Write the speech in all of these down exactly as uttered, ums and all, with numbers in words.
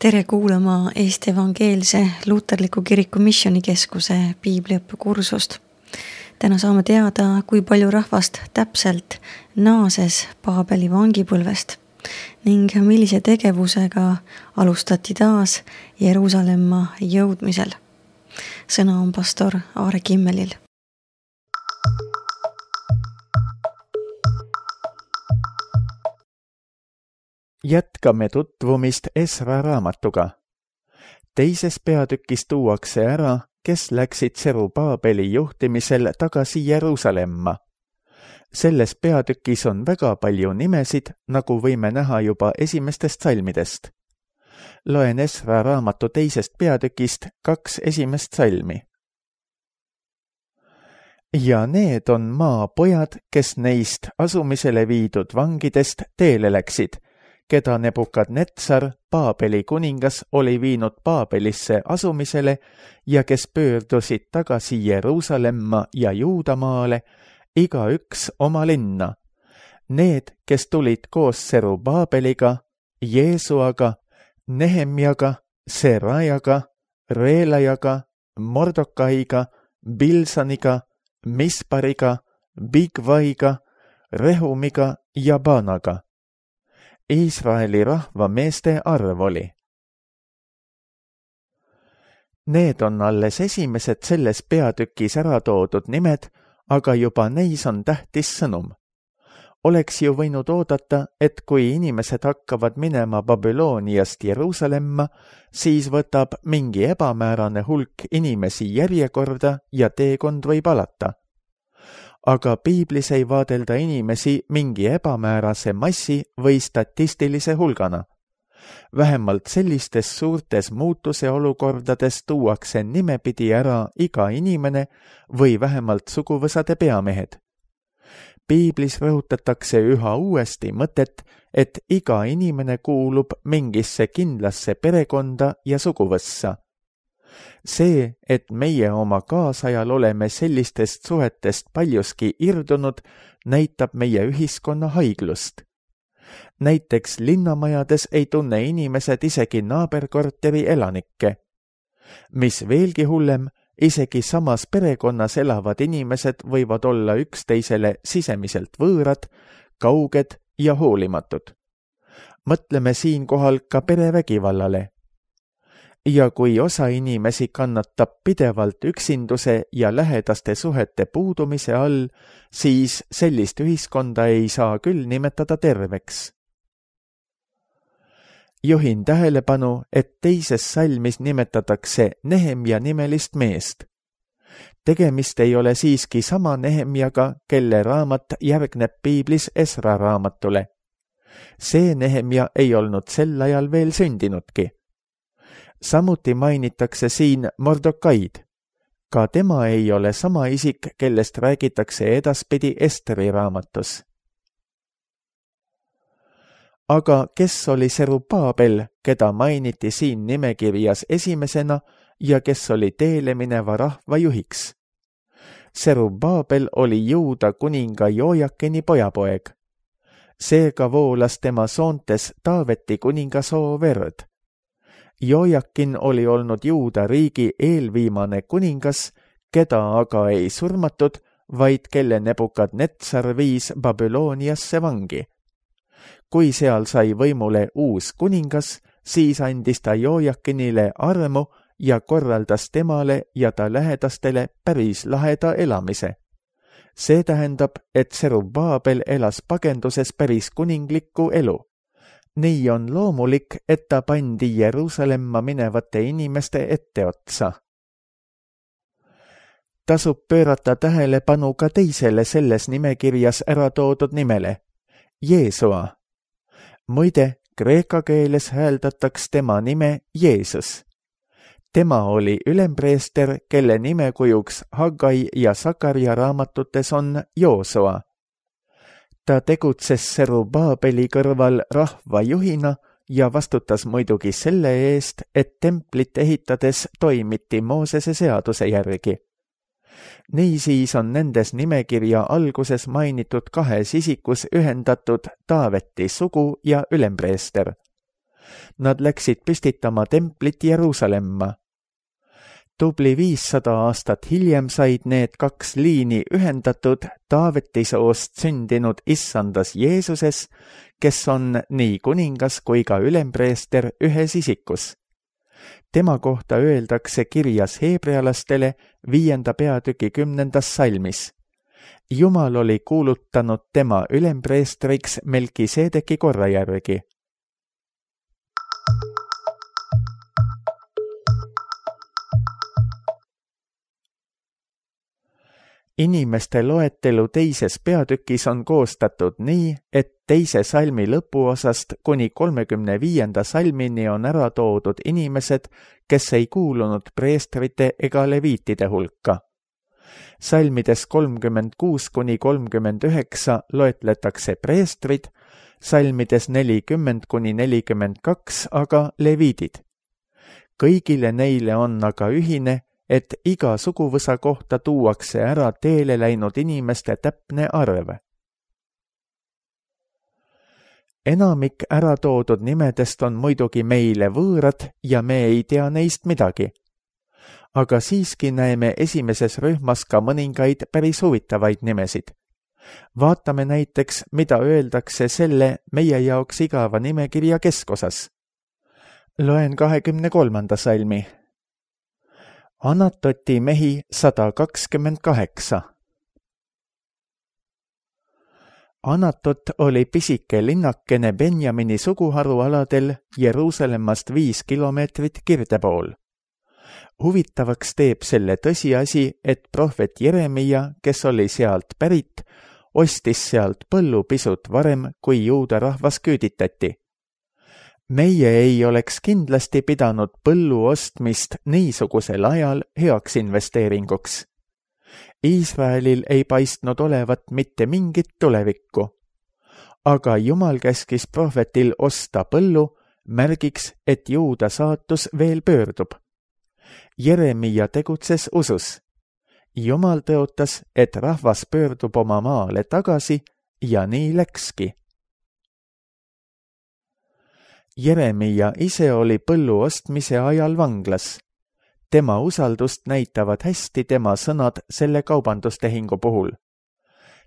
Tere kuulama Eesti Evangeelse Luterliku Kiriku Missioonikeskuse piibliõppekursust. Täna saame teada, kui palju rahvast täpselt naases Paabeli vangipõlvest ning millise tegevusega alustati taas Jeruusalemma jõudmisel. Sõna on pastor Aare Kimmelil. Jätkame tutvumist Esra raamatuga. Teises peatükis tuuakse ära, kes läksid Serubaabeli juhtimisel tagasi Jeruusalemma. Selles peatükis on väga palju nimesid, nagu võime näha juba esimestest salmidest. Loen Esra raamatu teisest peatükist kaks esimest salmi. Ja need on maapojad, kes neist asumisele viidud vangidest teele läksid, keda Nebukadnetsar, Paabeli kuningas, oli viinud Paabelisse asumisele ja kes pöördusid tagasi Jeruusalemma ja Juudamaale, igaüks oma linna. Need, kes tulid koos Serubaabeliga, Jeesuaga, Nehemjaga, Serajaga, Reelajaga, Mordokaiga, Bilsaniga, Mispariga, Bigvaiga, Rehumiga ja Baanaga. Iisraeli rahva meeste arv oli. Need on alles esimesed selles peatükis ära toodud nimed, aga juba neis on tähtis sõnum. Oleks ju võinud oodata, et kui inimesed hakkavad minema Babyloniast Jeruusalemma, siis võtab mingi ebamäärane hulk inimesi järjekorda ja teekond võib alata. Aga piiblis ei vaadelda inimesi mingi ebamäärase massi või statistilise hulgana. Vähemalt sellistes suurtes muutuse olukordades tuuakse nimepidi ära iga inimene või vähemalt suguvõsade peamehed. Piiblis rõhutatakse üha uuesti mõtet, et iga inimene kuulub mingisse kindlasse perekonda ja suguvõssa. See, et meie oma kaasajal oleme sellistest suhetest paljuski irdunud, näitab meie ühiskonna haiglust. Näiteks linnamajades ei tunne inimesed isegi naaberkorteri elanikke. Mis veelgi hullem, isegi samas perekonnas elavad inimesed võivad olla üksteisele sisemiselt võõrad, kauged ja hoolimatud. Mõtleme siinkohal ka perevägivallale. Ja kui osa inimesi kannatab pidevalt üksinduse ja lähedaste suhete puudumise all, siis sellist ühiskonda ei saa küll nimetada terveks. Juhin tähelepanu, et teises salmis nimetatakse Nehemja nimelist meest. Tegemist ei ole siiski sama Nehemjaga, kelle raamat järgneb piiblis Esra raamatule. See Nehemja ei olnud sel ajal veel sündinudki. Samuti mainitakse siin Mordokaid. Ka tema ei ole sama isik, kellest räägitakse edaspidi Esteri raamatus. Aga kes oli Serubaabel, keda mainiti siin nimekirjas esimesena ja kes oli teele mineva rahva juhiks? Serubaabel oli Juuda kuninga Jojakini pojapoeg. Seega voolas tema soontes Taaveti kuningasoo verd. Jojakin oli olnud Juuda riigi eelviimane kuningas, keda aga ei surmatud, vaid kelle Nebukadnetsar viis Babyloniasse vangi. Kui seal sai võimule uus kuningas, siis andis ta Jojakinile armu ja korraldas temale ja ta lähedastele päris laheda elamise. See tähendab, et Serubaabel elas pagenduses päris kuninglikku elu. Nii on loomulik, et ta pandi Jeruusalemma minevate inimeste etteotsa. Tasub pöörata tähelepanu ka teisele selles nimekirjas ära toodud nimele, Jeesua. Muide, kreeka keeles hääldataks tema nime Jeesus. Tema oli ülempreester, kelle nimekujuks Haggai ja Sakaria raamatutes on Joosua. Ta tegutses Serubaabeli kõrval rahva juhina ja vastutas muidugi selle eest, et templit ehitades toimiti Moosese seaduse järgi. Niisiis on nendes nimekirja alguses mainitud kahes isikus ühendatud Taaveti sugu ja ülempreester. Nad läksid püstitama templit Jeruusalemma. Tubli viissada aastat hiljem said need kaks liini ühendatud Taaveti soost sündinud issandas Jeesuses, kes on nii kuningas kui ka ülempreester ühes isikus. Tema kohta öeldakse kirjas heebrealastele viienda peatüki kümnendas salmis. Jumal oli kuulutanud tema ülempreestriks Melkisedeki korra järgi. Inimeste loetelu teises peatükis on koostatud nii, et teise salmi lõpuosast kuni kolmekümne viienda salmini on ära toodud inimesed, kes ei kuulunud preestrite ega leviitide hulka. Salmides kolmkümmend kuus kuni kolmkümmend üheksa loetletakse preestrid, salmides nelikümmend kuni nelikümmend kaks aga leviidid. Kõigile neile on aga ühine, et iga suguvõsa kohta tuuakse ära teele läinud inimeste täpne arv. Enamik ära toodud nimedest on muidugi meile võõrad ja me ei tea neist midagi. Aga siiski näeme esimeses rühmas ka mõningaid päris huvitavaid nimesid. Vaatame näiteks, mida öeldakse selle meie jaoks igava nimekirja keskosas. Loen kahekümne kolmanda salmi. Anatoti mehi sada kakskümmend kaheksa. Anatot oli pisike linnakene Benjamini suguharualadel Jeruusalemmast viis kilomeetrit kirde pool. Huvitavaks teeb selle tõsiasi, et prohvet Jeremia, kes oli sealt pärit, ostis sealt põllu pisut varem, kui juuda rahvas küüditati. Meie ei oleks kindlasti pidanud põllu ostmist niisugusel ajal heaks investeeringuks. Iisraelil ei paistnud olevat mitte mingit tulevikku. Aga Jumal käskis prohvetil osta põllu, märgiks, et juuda saatus veel pöördub. Jeremia tegutses usus. Jumal tõotas, et rahvas pöördub oma maale tagasi ja nii läkski. Jeremia ise oli põllu ostmise ajal vanglas. Tema usaldust näitavad hästi tema sõnad selle kaubandustehingu puhul.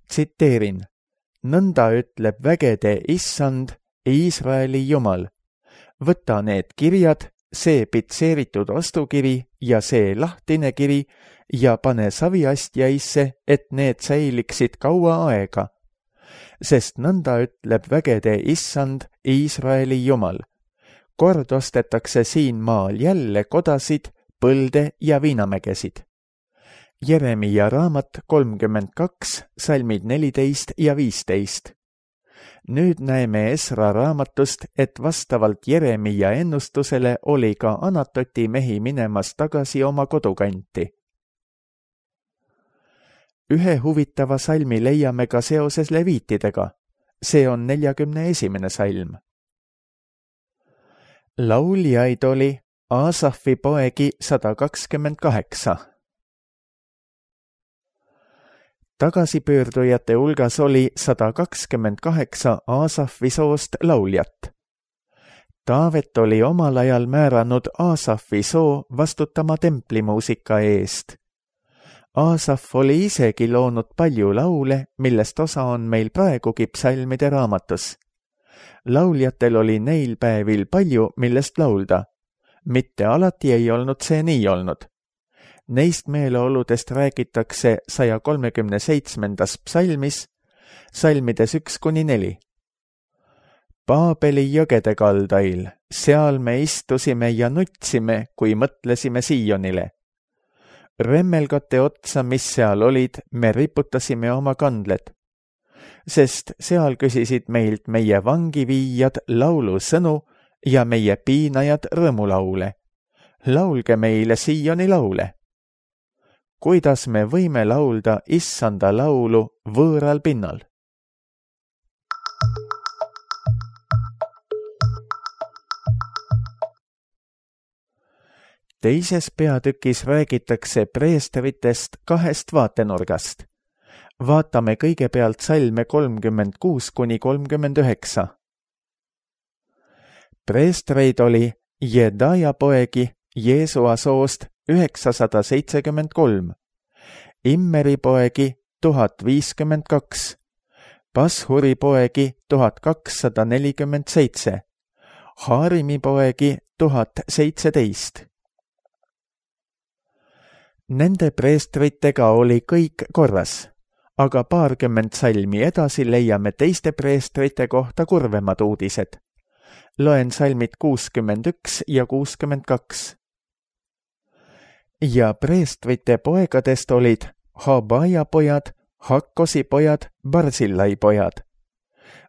Tsiteerin, nõnda ütleb vägede issand, Iisraeli Jumal. Võta need kirjad, see pitseeritud ostukiri ja see lahtine kiri ja pane saviastjaisse, et need säiliksid kaua aega. Sest nõnda ütleb vägede issand, Iisraeli Jumal. Kord ostetakse siin maal jälle kodasid, põlde ja viinamägesid. Jeremia raamat kolmkümmend kaks, salmid neliteist ja viisteist. Nüüd näeme Esra raamatust, et vastavalt Jeremia ennustusele oli ka Anatoti mehi minemas tagasi oma kodukanti. Ühe huvitava salmi leiame ka seoses leviitidega. See on neljakümne esimene salm. Lauljaid oli Aasafi poegi sada kakskümmend kaheksa. Tagasipöördujate hulgas oli sada kakskümmend kaheksa Aasafi soost lauljat. Taavet oli omal ajal määranud Aasafi soo vastutama templimuusika eest. Aasaf oli isegi loonud palju laule, millest osa on meil praegugi psalmide raamatus. Lauljatel oli neil päevil palju, millest laulda. Mitte alati ei olnud see nii olnud. Neist meeleoludest räägitakse saja kolmekümne seitsmendas psalmis, salmides üks kuni neli. Paabeli jõgede kaldail, seal me istusime ja nutsime, kui mõtlesime Siionile. Remmelgate otsa, mis seal olid, me riputasime oma kandled, sest seal küsisid meilt meie vangiviijad laulusõnu ja meie piinajad rõõmulaule. Laulge meile Sioni laule. Kuidas me võime laulda issanda laulu võõral pinnal? Teises peatükis räägitakse preestritest kahest vaatenurgast. Vaatame kõigepealt salme kolmkümmend kuus kuni kolmkümmend üheksa. Preestreid oli Jedaja poegi Jeesua soost üheksasada seitsekümmend kolm, Immeri poegi tuhat viiskümmend kaks, Pashuri poegi tuhat kakssada nelikümmend seitse, Haarimi poegi tuhat seitseteist. Nende preestritega oli kõik korras, aga paarkümmend salmi edasi leiame teiste preestrite kohta kurvemad uudised. Loen salmid kuuskümmend üks ja kuuskümmend kaks. Ja preestrite poegadest olid Habaja pojad, Hakkosi pojad, Barzillai pojad.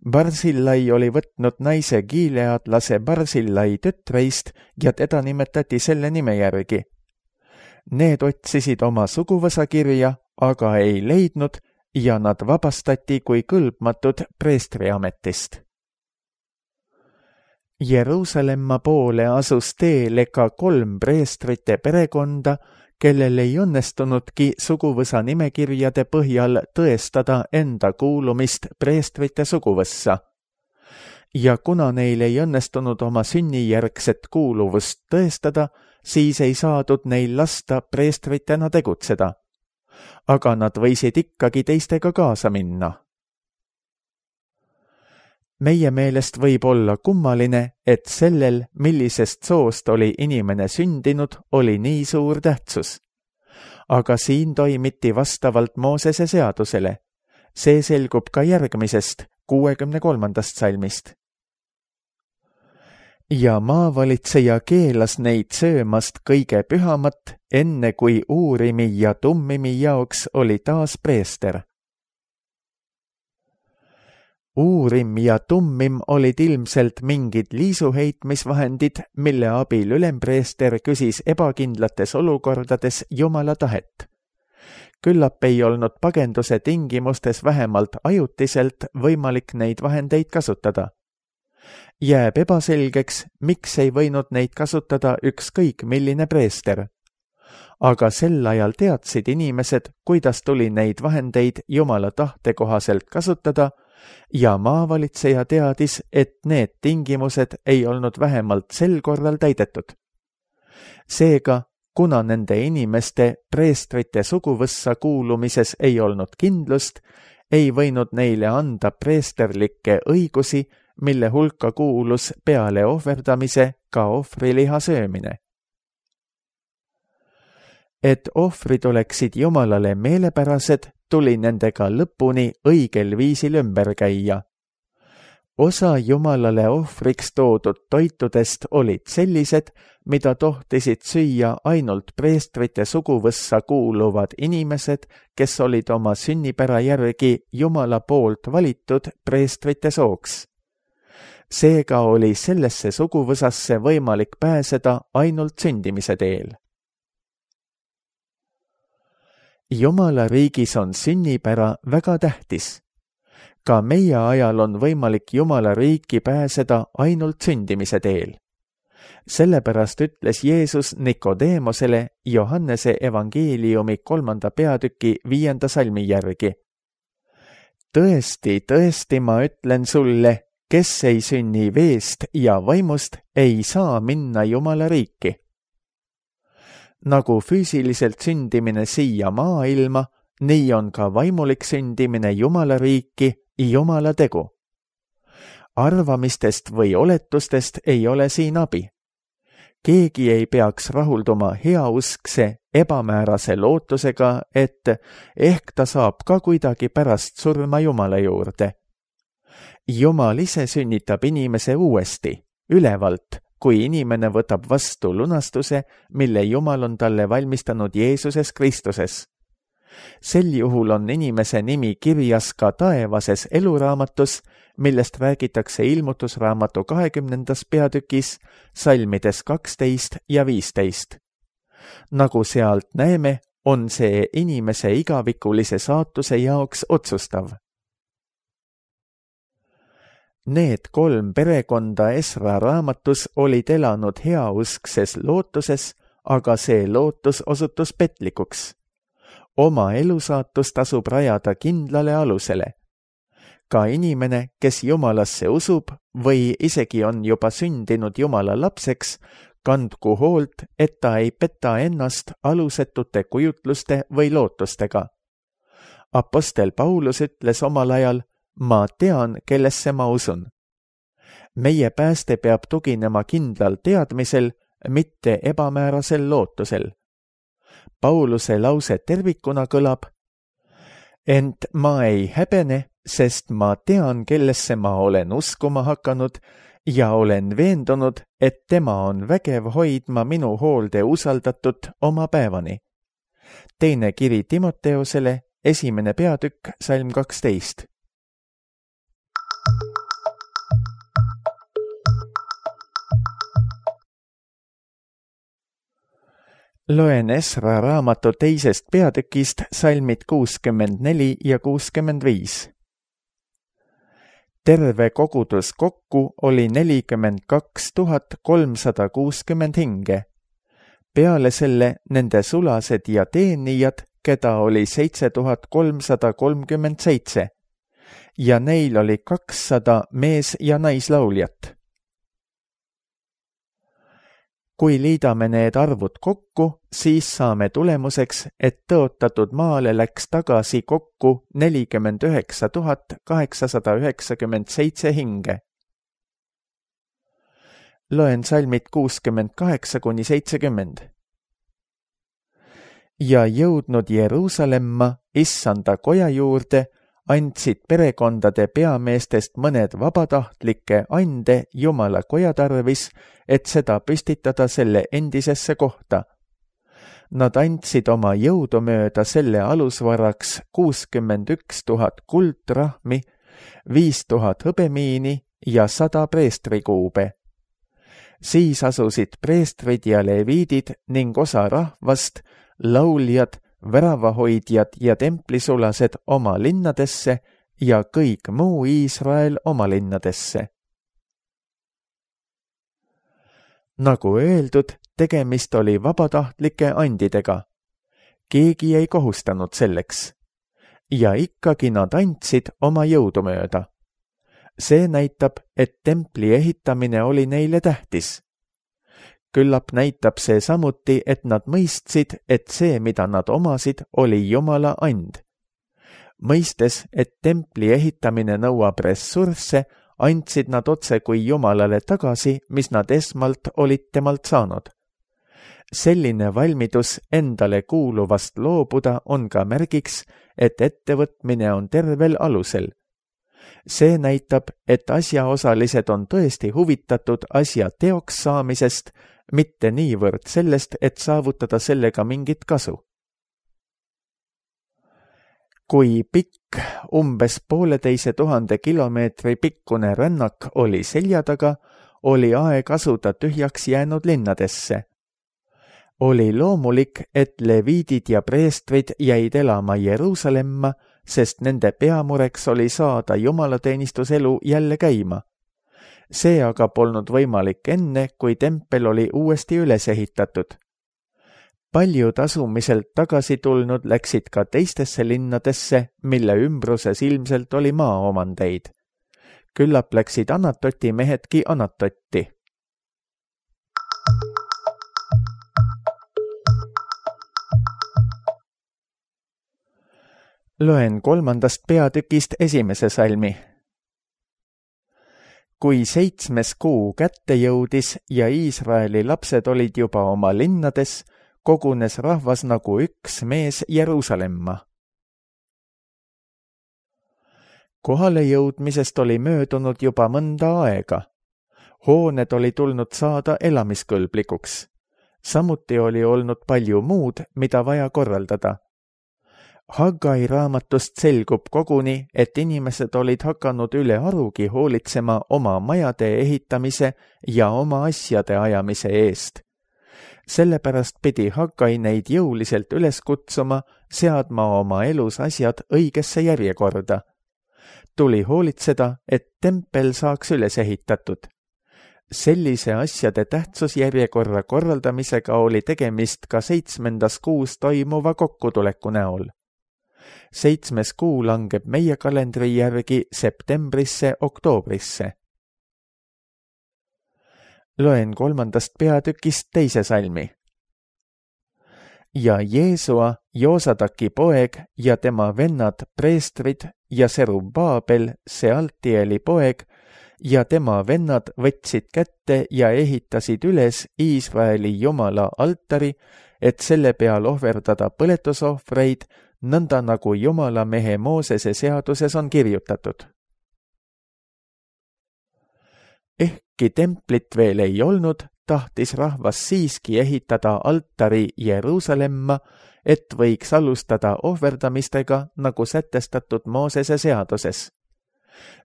Barzillai oli võtnud naise giileadlase Barzillai tütreist ja teda nimetati selle nime järgi. Need otsisid oma suguvõsakirja, aga ei leidnud ja nad vabastati kui kõlbmatud preestriametist. Jeruusalemma poole asus teele ka kolm preestrite perekonda, kellel ei õnnestunudki suguvõsa nimekirjade põhjal tõestada enda kuulumist preestrite suguvõssa. Ja kuna neil ei õnnestunud oma sünnijärgset kuuluvust tõestada, siis ei saadud neil lasta preestritena tegutseda. Aga nad võisid ikkagi teistega kaasa minna. Meie meelest võib olla kummaline, et sellel, millisest soost oli inimene sündinud, oli nii suur tähtsus. Aga siin toimiti vastavalt Moosese seadusele. See selgub ka järgmisest, kuuekümne kolmandast salmist. Ja maavalitseja keelas neid söömast kõige pühamat, enne kui Uurimi ja Tummimi jaoks oli taas preester. Uurim ja Tummim olid ilmselt mingid liisuheitmisvahendid, mille abil ülempreester küsis ebakindlates olukordades Jumala tahet. Küllap ei olnud pagenduse tingimustes vähemalt ajutiselt võimalik neid vahendeid kasutada. Jääb ebaselgeks, miks ei võinud neid kasutada ükskõik milline preester. Aga sel ajal teadsid inimesed, kuidas tuli neid vahendeid Jumala tahte kohaselt kasutada, ja maavalitseja teadis, et need tingimused ei olnud vähemalt sel korral täidetud. Seega, kuna nende inimeste preestrite suguvõssa kuulumises ei olnud kindlust, ei võinud neile anda preesterlikke õigusi, mille hulka kuulus peale ohverdamise ka ohvriliha söömine. Et ohvrid oleksid Jumalale meelepärased, tuli nendega lõpuni õigel viisil ümber käia. Osa Jumalale ohvriks toodud toitudest olid sellised, mida tohtisid süüa ainult preestrite suguvõssa kuuluvad inimesed, kes olid oma sünnipära järgi Jumala poolt valitud preestrite sooks. Seega oli sellesse suguvõsasse võimalik pääseda ainult sündimise teel. Jumala riigis on sünnipära väga tähtis. Ka meie ajal on võimalik Jumala riiki pääseda ainult sündimise teel. Sellepärast ütles Jeesus Nikodeemosele Johannese evangeeliumi kolmanda peatüki viienda salmi järgi. Tõesti, tõesti ma ütlen sulle, kes ei sünni veest ja vaimust, ei saa minna Jumala riiki. Nagu füüsiliselt sündimine siia maailma, nii on ka vaimulik sündimine Jumala riiki Jumala tegu. Arvamistest või oletustest ei ole siin abi. Keegi ei peaks rahulduma heauskse, ebamäärase lootusega, et ehk ta saab ka kuidagi pärast surma Jumala juurde. Jumal ise sünnitab inimese uuesti, ülevalt, kui inimene võtab vastu lunastuse, mille Jumal on talle valmistanud Jeesuses Kristuses. Sel juhul on inimese nimi kirjas ka taevases eluraamatus, millest räägitakse ilmutusraamatu kahekümnendas peatükis, salmides kaksteist ja viisteist. Nagu sealt näeme, on see inimese igavikulise saatuse jaoks otsustav. Need kolm perekonda Esra raamatus olid elanud heauskses lootuses, aga see lootus osutus petlikuks. Oma elusaatus tasub rajada kindlale alusele. ka inimene, kes Jumalasse usub või isegi on juba sündinud Jumala lapseks, kandku hoolt, et ta ei peta ennast alusetute kujutluste või lootustega. Apostel Paulus ütles omal ajal, ma tean, kellesse ma usun. Meie pääste peab tuginema kindlal teadmisel, mitte ebamäärasel lootusel. Pauluse lause tervikuna kõlab, ent ma ei häbene, sest ma tean, kellesse ma olen uskuma hakanud ja olen veendunud, et tema on vägev hoidma minu hoolde usaldatut oma päevani. Teine kiri Timoteosele, esimene peatükk, salm kaksteist. Loen Esra raamatu teisest peatükist salmid kuuskümmend neli ja kuuskümmend viis. Terve kogudus kokku oli nelikümmend kaks tuhat kolmsada kuuskümmend hinge. Peale selle nende sulased ja teenijad, keda oli seitse tuhat kolmsada kolmkümmend seitse ja neil oli kakssada mees- ja naislauljat. Kui liidame need arvud kokku, siis saame tulemuseks, et tõotatud maale läks tagasi kokku nelikümmend üheksa tuhat kaheksasada üheksakümmend seitse hinge. Loen salmid kuuskümmend kaheksa kuni seitsekümmend. Ja jõudnud Jeruusalemma issanda koja juurde, andsid perekondade peameestest mõned vabatahtlikke ande Jumala koja tarvis, et seda püstitada selle endisesse kohta. Nad andsid oma jõudumööda selle alusvaraks kuuskümmend üks tuhat kuldrahmi, viis tuhat hõbemiini ja sada preestrikuube. Siis asusid preestrid ja leviidid ning osa rahvast, lauljad, väravahoidjad ja templisulased oma linnadesse ja kõik muu Iisrael oma linnadesse. Nagu öeldud, tegemist oli vabatahtlike andidega. Keegi ei kohustanud selleks. Ja ikkagi nad andsid oma jõudumööda. See näitab, et templi ehitamine oli neile tähtis. Küllap näitab see samuti, et nad mõistsid, et see, mida nad omasid, oli Jumala and. Mõistes, et templi ehitamine nõuab ressursse, andsid nad otse kui Jumalale tagasi, mis nad esmalt olid temalt saanud. Selline valmidus endale kuuluvast loobuda on ka märgiks, et ettevõtmine on tervel alusel. See näitab, et asjaosalised on tõesti huvitatud asja teoks saamisest, mitte niivõrd sellest, et saavutada sellega mingit kasu. Kui pikk, umbes pooleteise tuhande kilomeetri pikkune rännak oli selja taga, oli aeg asuda tühjaks jäänud linnadesse. Oli loomulik, et leviidid ja preestrid jäid elama Jeruusalemma, sest nende peamureks oli saada jumalateenistuselu jälle käima. See aga polnud võimalik enne, kui tempel oli uuesti üles ehitatud. Paljud asumiselt tagasi tulnud läksid ka teistesse linnadesse, mille ümbruses ilmselt oli maaomandeid. Küllap läksid Anatoti mehedki Anatotti. Loen kolmandast peatükist esimese salmi. Kui seitsmes kuu kätte jõudis ja Iisraeli lapsed olid juba oma linnades, kogunes rahvas nagu üks mees Jeruusalemma. Kohale jõudmisest oli möödunud juba mõnda aega. Hooned oli tulnud saada elamiskõlblikuks. Samuti oli olnud palju muud, mida vaja korraldada. Haggai raamatust selgub koguni, et inimesed olid hakanud üle arugi hoolitsema oma majade ehitamise ja oma asjade ajamise eest. Sellepärast pidi Haggai neid jõuliselt üles kutsuma, seadma oma elus asjad õigesse järjekorda. Tuli hoolitseda, et tempel saaks üles ehitatud. Sellise asjade tähtsusjärjekorra korraldamisega oli tegemist ka seitsmendas kuus toimuva kokkutuleku näol. seitsmes kuu langeb meie kalendri järgi septembrisse, oktoobrisse. Loen kolmandast peatükist teise salmi. Ja Jeesua, Joosadaki poeg ja tema vennad preestrid ja Serubaabel, Sealtieli poeg, ja tema vennad võtsid kätte ja ehitasid üles Iisraeli Jumala altari, et selle peal ohverdada põletusohvreid, nõnda nagu Jumala mehe Moosese seaduses on kirjutatud. Ehkki templit veel ei olnud, tahtis rahvas siiski ehitada altari Jeruusalemma, et võiks alustada ohverdamistega, nagu sätestatud Moosese seaduses.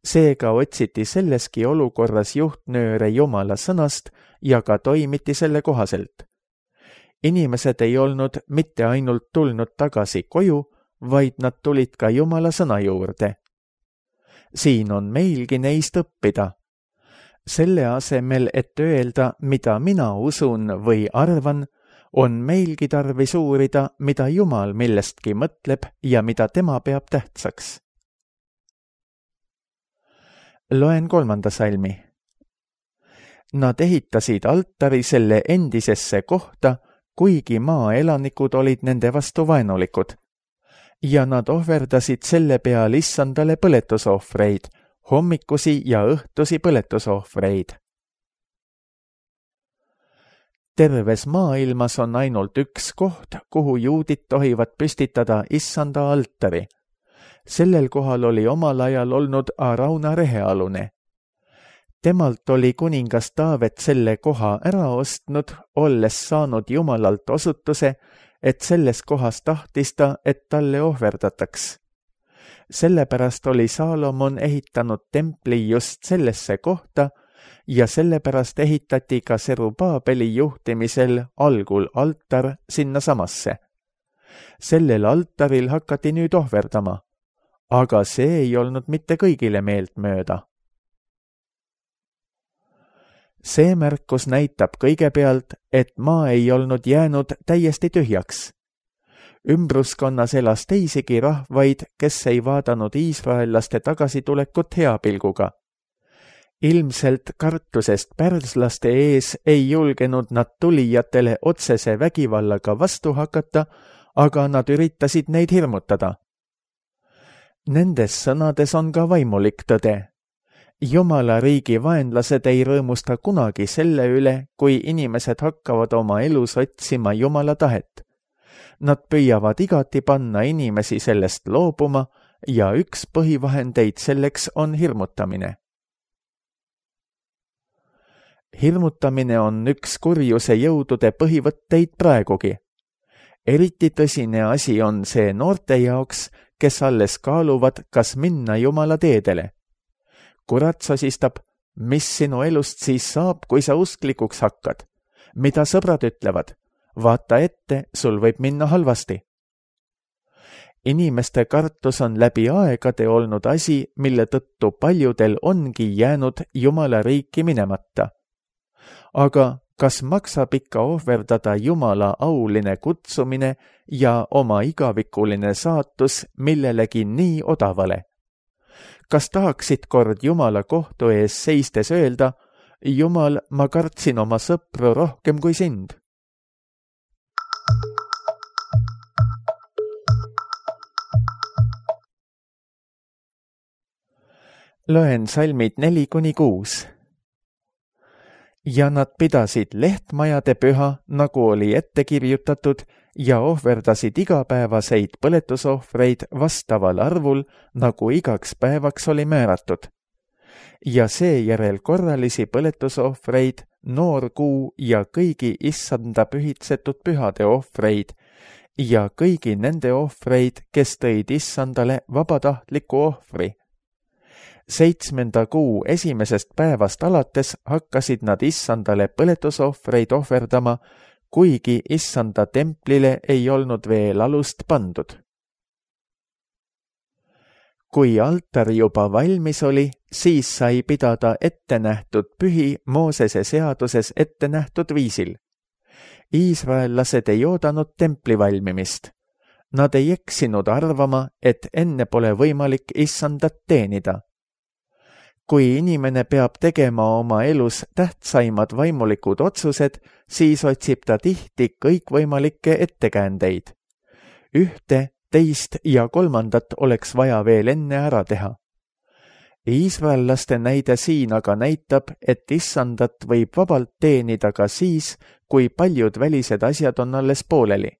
Seega otsiti selleski olukorras juhtnööre Jumala sõnast ja ka toimiti selle kohaselt. Inimesed ei olnud mitte ainult tulnud tagasi koju, vaid nad tulid ka Jumala sõna juurde. Siin on meilgi neist õppida. Selle asemel, et öelda, mida mina usun või arvan, on meilgi tarvis uurida, mida Jumal millestki mõtleb ja mida tema peab tähtsaks. Loen kolmanda salmi. Nad ehitasid altari selle endisesse kohta, kuigi maaelanikud olid nende vastu vaenulikud. Ja nad ohverdasid selle peal issandale põletusohvreid, hommikusi ja õhtusi põletusohvreid. Terves maailmas on ainult üks koht, kuhu juudid tohivad püstitada issanda altari. Sellel kohal oli omal ajal olnud Arauna rehealune. Temalt oli kuningas Taavet selle koha ära ostnud, olles saanud Jumalalt osutuse, et selles kohas tahtis ta, et talle ohverdataks. Sellepärast oli Saalomon ehitanud templi just sellesse kohta ja sellepärast ehitati ka Serubaabeli juhtimisel algul altar sinna samasse. Sellel altaril hakati nüüd ohverdama, aga see ei olnud mitte kõigile meeltmööda. See märkus näitab kõigepealt, et maa ei olnud jäänud täiesti tühjaks. Ümbruskonnas elas teisigi rahvaid, kes ei vaadanud iisraellaste tagasitulekut heapilguga. Ilmselt kartusest pärslaste ees ei julgenud nad tulijatele otsese vägivallaga vastu hakata, aga nad üritasid neid hirmutada. Nendes sõnades on ka vaimulik tõde. Jumala riigi vaenlased ei rõõmusta kunagi selle üle, kui inimesed hakkavad oma elus otsima Jumala tahet. Nad püüavad igati panna inimesi sellest loobuma ja üks põhivahendeid selleks on hirmutamine. Hirmutamine on üks kurjuse jõudude põhivõtteid praegugi. Eriti tõsine asi on see noorte jaoks, kes alles kaaluvad, kas minna Jumala teedele. Kurat sosistab, mis sinu elust siis saab, kui sa usklikuks hakkad? Mida sõbrad ütlevad? Vaata ette, sul võib minna halvasti. Inimeste kartus on läbi aegade olnud asi, mille tõttu paljudel ongi jäänud Jumala riiki minemata. Aga kas maksab ikka ohverdada Jumala auline kutsumine ja oma igavikuline saatus millelegi nii odavale? Kas tahaksid kord Jumala kohtu ees seistes öelda, Jumal, ma kartsin oma sõpru rohkem kui sind? Loen salmid neli kuni kuus. Ja nad pidasid lehtmajade püha, nagu oli ette kirjutatud, ja ohverdasid igapäevaseid põletusohvreid vastaval arvul, nagu igaks päevaks oli määratud. Ja seejärel korralisi põletusohvreid, noorkuu ja kõigi issanda pühitsetud pühade ohvreid ja kõigi nende ohvreid, kes tõid issandale vabatahtliku ohvri. Seitsmenda kuu esimesest päevast alates hakkasid nad issandale põletusohvreid ohverdama, kuigi issanda templile ei olnud veel alust pandud. Kui altar juba valmis oli, siis sai pidada ettenähtud pühi Moosese seaduses ettenähtud viisil. Iisraellased ei oodanud templi valmimist. Nad ei eksinud arvama, et enne pole võimalik issandat teenida. Kui inimene peab tegema oma elus tähtsaimad vaimulikud otsused, siis otsib ta tihti kõikvõimalikke ettekäändeid. Ühte, teist ja kolmandat oleks vaja veel enne ära teha. Iisraellaste näide siin aga näitab, et issandat võib vabalt teenida ka siis, kui paljud välised asjad on alles pooleli.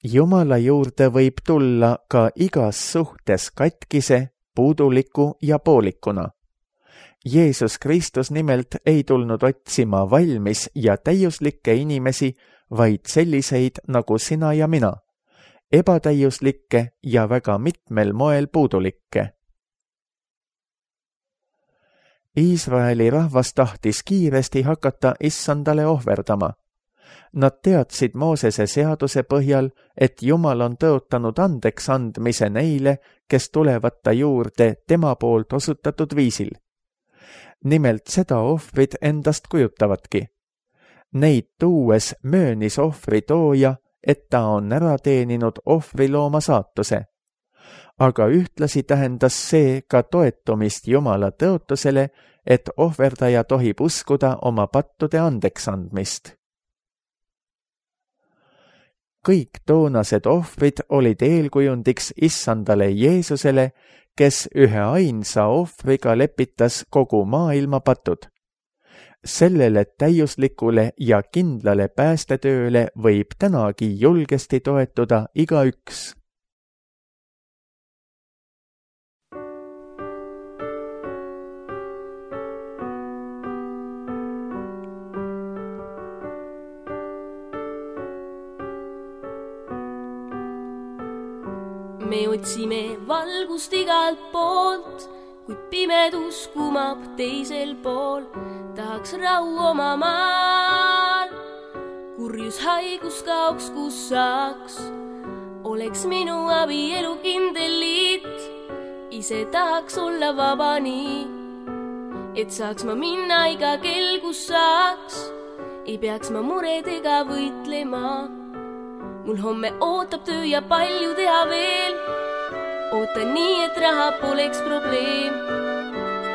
Jumala juurde võib tulla ka igas suhtes katkise, puuduliku ja poolikuna. Jeesus Kristus nimelt ei tulnud otsima valmis ja täiuslikke inimesi, vaid selliseid nagu sina ja mina, ebatäiuslikke ja väga mitmel moel puudulikke. Iisraeli rahvas tahtis kiiresti hakata issandale ohverdama. Nad teadsid Moosese seaduse põhjal, et Jumal on tõotanud andeks andmise neile, kes tulevad ta juurde tema poolt osutatud viisil. Nimelt seda ohvrid endast kujutavadki. Neid tuues möönis ohvri tooja, et ta on ära teeninud ohvrilooma saatuse. Aga ühtlasi tähendas see ka toetumist Jumala tõotusele, et ohverdaja tohib uskuda oma pattude andeks andmist. Kõik toonased ohvrid olid eelkujundiks issandale Jeesusele, kes ühe ainsa ohvriga lepitas kogu maailma patud. Sellele täiuslikule ja kindlale päästetööle võib tänagi julgesti toetuda igaüks. Me otsime valgust igalt poolt, kuid pimedus kumab teisel pool. Tahaks rahu oma maal, kurjus haigus kaoks, kus saaks. Oleks minu abielu kindel liit, ise tahaks olla vaba nii, et saaks ma minna iga kell, kus saaks. Ei peaks ma muredega võitlema. Mul homme ootab töö ja palju teha veel. Ootan nii, et raha poleks probleem.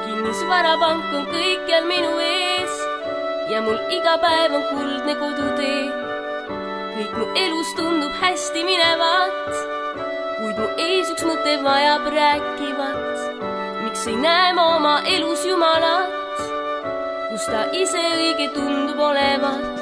Kinnisvarapank on kõikjal minu ees ja mul iga päev on kuldne kodutee. Kõik mu elus tundub hästi minevat, kuid mu ees üks mõte vajab rääkivat. Miks ei näe ma oma elus Jumalat, kus ta ise õige tundub olevat?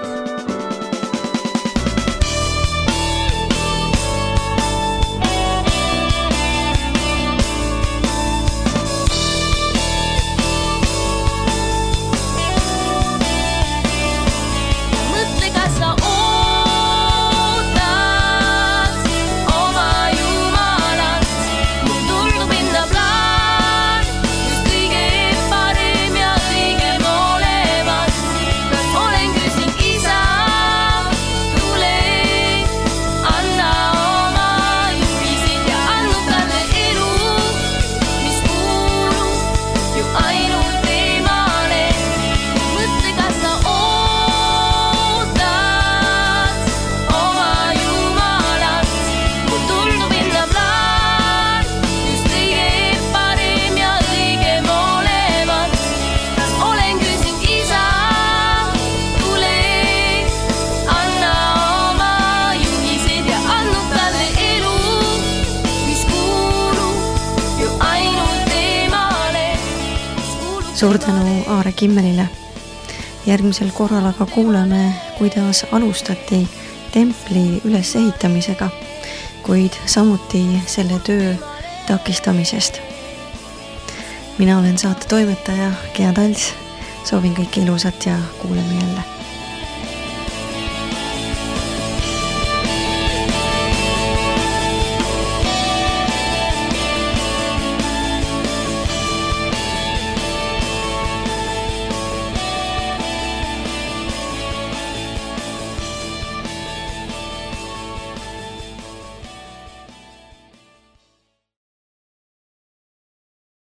Suur tänu Aare Kimmelile. Järgmisel korral aga kuuleme, kuidas alustati templi ülesehitamisega, kuid samuti selle töö takistamisest. Mina olen saate toimetaja Gea Tals. Soovin kõike ilusat ja kuuleme jälle.